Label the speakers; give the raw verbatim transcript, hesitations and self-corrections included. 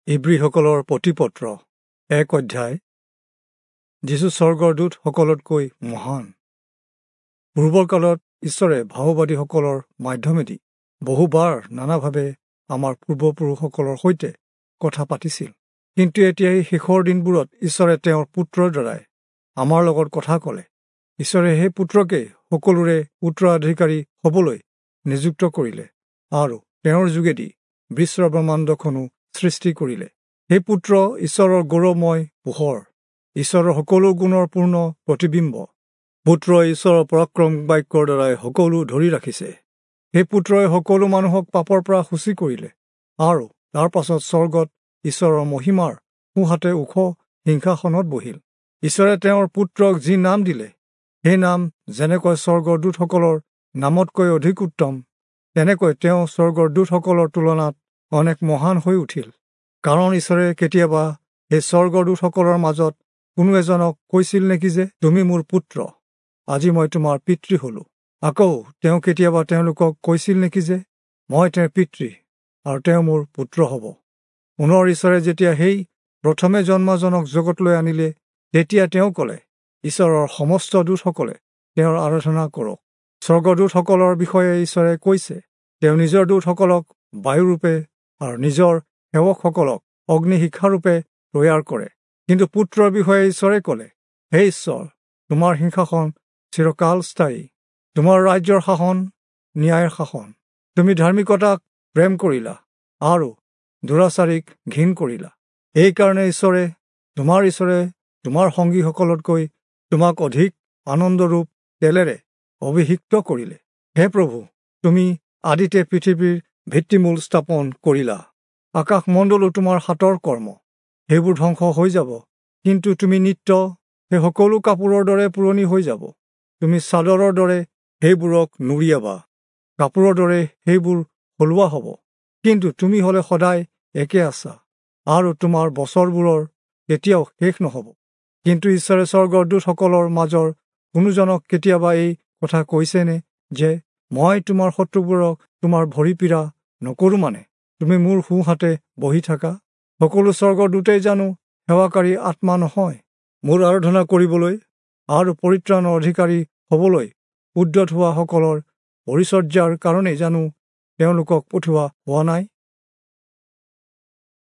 Speaker 1: ইব্ৰীসকলৰ প্ৰতিপত্ৰ এক অধ্যায়। যীচু স্বৰ্গৰ দূতসকলতকৈ মহান। পূৰ্বৰ কালত ঈশ্বৰে ভাওবাদীসকলৰ মাধ্যমেদি বহুবাৰ নানাভাৱে আমাৰ পূৰ্বপুৰুষসকলৰ সৈতে কথা পাতিছিল, কিন্তু এতিয়া এই শেষৰ দিনবোৰত ঈশ্বৰে তেওঁৰ পুত্ৰৰ দ্বাৰাই আমাৰ লগত কথা ক'লে। ঈশ্বৰে সেই পুত্ৰকেই সকলোৰে উত্তৰাধিকাৰী হ'বলৈ নিযুক্ত কৰিলে আৰু তেওঁৰ যোগেদি বিশ্বব্ৰহ্মাণ্ডখনো সৃষ্টি কৰিলে। সেই পুত্ৰ ঈশ্বৰৰ গৌৰৱময় পোহৰ, ঈশ্বৰৰ সকলো গুণৰ পূৰ্ণ প্ৰতিবিম্ব। পুত্ৰই ঈশ্বৰৰ পৰাক্ৰম বাক্যৰ দ্বাৰাই সকলো ধৰি ৰাখিছে। সেই পুত্ৰই সকলো মানুহক পাপৰ পৰা সূচী কৰিলে আৰু তাৰ পাছত স্বৰ্গত ঈশ্বৰৰ মহিমাৰ সোঁহাতে ওখ সিংহাসনত বহিল। ঈশ্বৰে তেওঁৰ পুত্ৰক যি নাম দিলে, সেই নাম যেনেকৈ স্বৰ্গৰ দূতসকলৰ নামতকৈ অধিক উত্তম, তেনেকৈ তেওঁ স্বৰ্গৰ দূতসকলৰ তুলনাত অনেক মহান হৈ উঠিল। কাৰণ ঈশ্বৰে কেতিয়াবা সেই স্বৰ্গৰ দূতসকলৰ মাজত কোনো এজনক কৈছিল নেকি যে, তুমি মোৰ পুত্ৰ, আজি মই তোমাৰ পিতৃ হলো? আকৌ তেওঁ কেতিয়াবা তেওঁলোকক কৈছিল নেকি যে, মই তেওঁৰ পিতৃ আৰু তেওঁ মোৰ পুত্ৰ হ'ব? পুনৰ ঈশ্বৰে যেতিয়া সেই প্ৰথমে জন্মাজনক জগতলৈ আনিলে, তেতিয়া তেওঁ ক'লে, ঈশ্বৰৰ সমস্ত দূতসকলে তেওঁৰ আৰাধনা কৰক। স্বৰ্গদূতসকলৰ বিষয়ে ঈশ্বৰে কৈছে, তেওঁ নিজৰ দূতসকলক বায়ুৰূপে আৰু নিজৰ সেৱকসকলক অগ্নিশিখাৰূপে তৈয়াৰ কৰে। কিন্তু পুত্ৰৰ বিষয়ে ঈশ্বৰে ক'লে, হে ঈশ্বৰ, তোমাৰ সিংহাসন চিৰকাল স্থায়ী, তোমাৰ ৰাজ্যৰ শাসন ন্যায়ৰ শাসন। তুমি ধাৰ্মিকতাক প্ৰেম কৰিলা আৰু দুৰাচাৰীক ঘিণ কৰিলা। এইকাৰণে ঈশ্বৰে, তোমাৰ ঈশ্বৰে তোমাৰ সংগীসকলতকৈ তোমাক অধিক আনন্দৰূপ তেলেৰে অভিষিক্ত কৰিলে। হে প্ৰভু, তুমি আদিতে পৃথিৱীৰ ভিত্তিমূল স্থাপন কৰিলা। আকাশমণ্ডলো তোমাৰ হাতৰ কৰ্ম, সেইবোৰ ধ্বংস হৈ যাব, কিন্তু তুমি নিত্য সেই সকলো কাপোৰৰ দৰে পুৰণি হৈ যাব। তুমি চাদৰৰ দৰে সেইবোৰক নুৰিয়াবা, কাপোৰৰ দৰে সেইবোৰ সলোৱা হ'ব, কিন্তু তুমি হ'লে সদায় একে আছা আৰু তোমাৰ বছৰবোৰৰ কেতিয়াও শেষ নহ'ব। কিন্তু ঈশ্বৰে স্বৰ্গৰ দূতসকলৰ মাজৰ কোনোজনক কেতিয়াবা এই কথা কৈছেনে যে, মই তোমাৰ শত্ৰুবোৰক তোমাৰ ভৰি পীড়া নকৰোঁ মানে তুমি মোৰ সোঁহাতে বহি থাকা? সকলো স্বৰ্গৰ দূতেই জানো সেৱাকাৰী আত্মা নহয়, মোৰ আৰাধনা কৰিবলৈ আৰু পৰিত্ৰাণৰ অধিকাৰী হ'বলৈ উদ্যত হোৱাসকলৰ পৰিচৰ্যাৰ কাৰণেই জানো তেওঁলোকক পঠোৱা হোৱা নাই?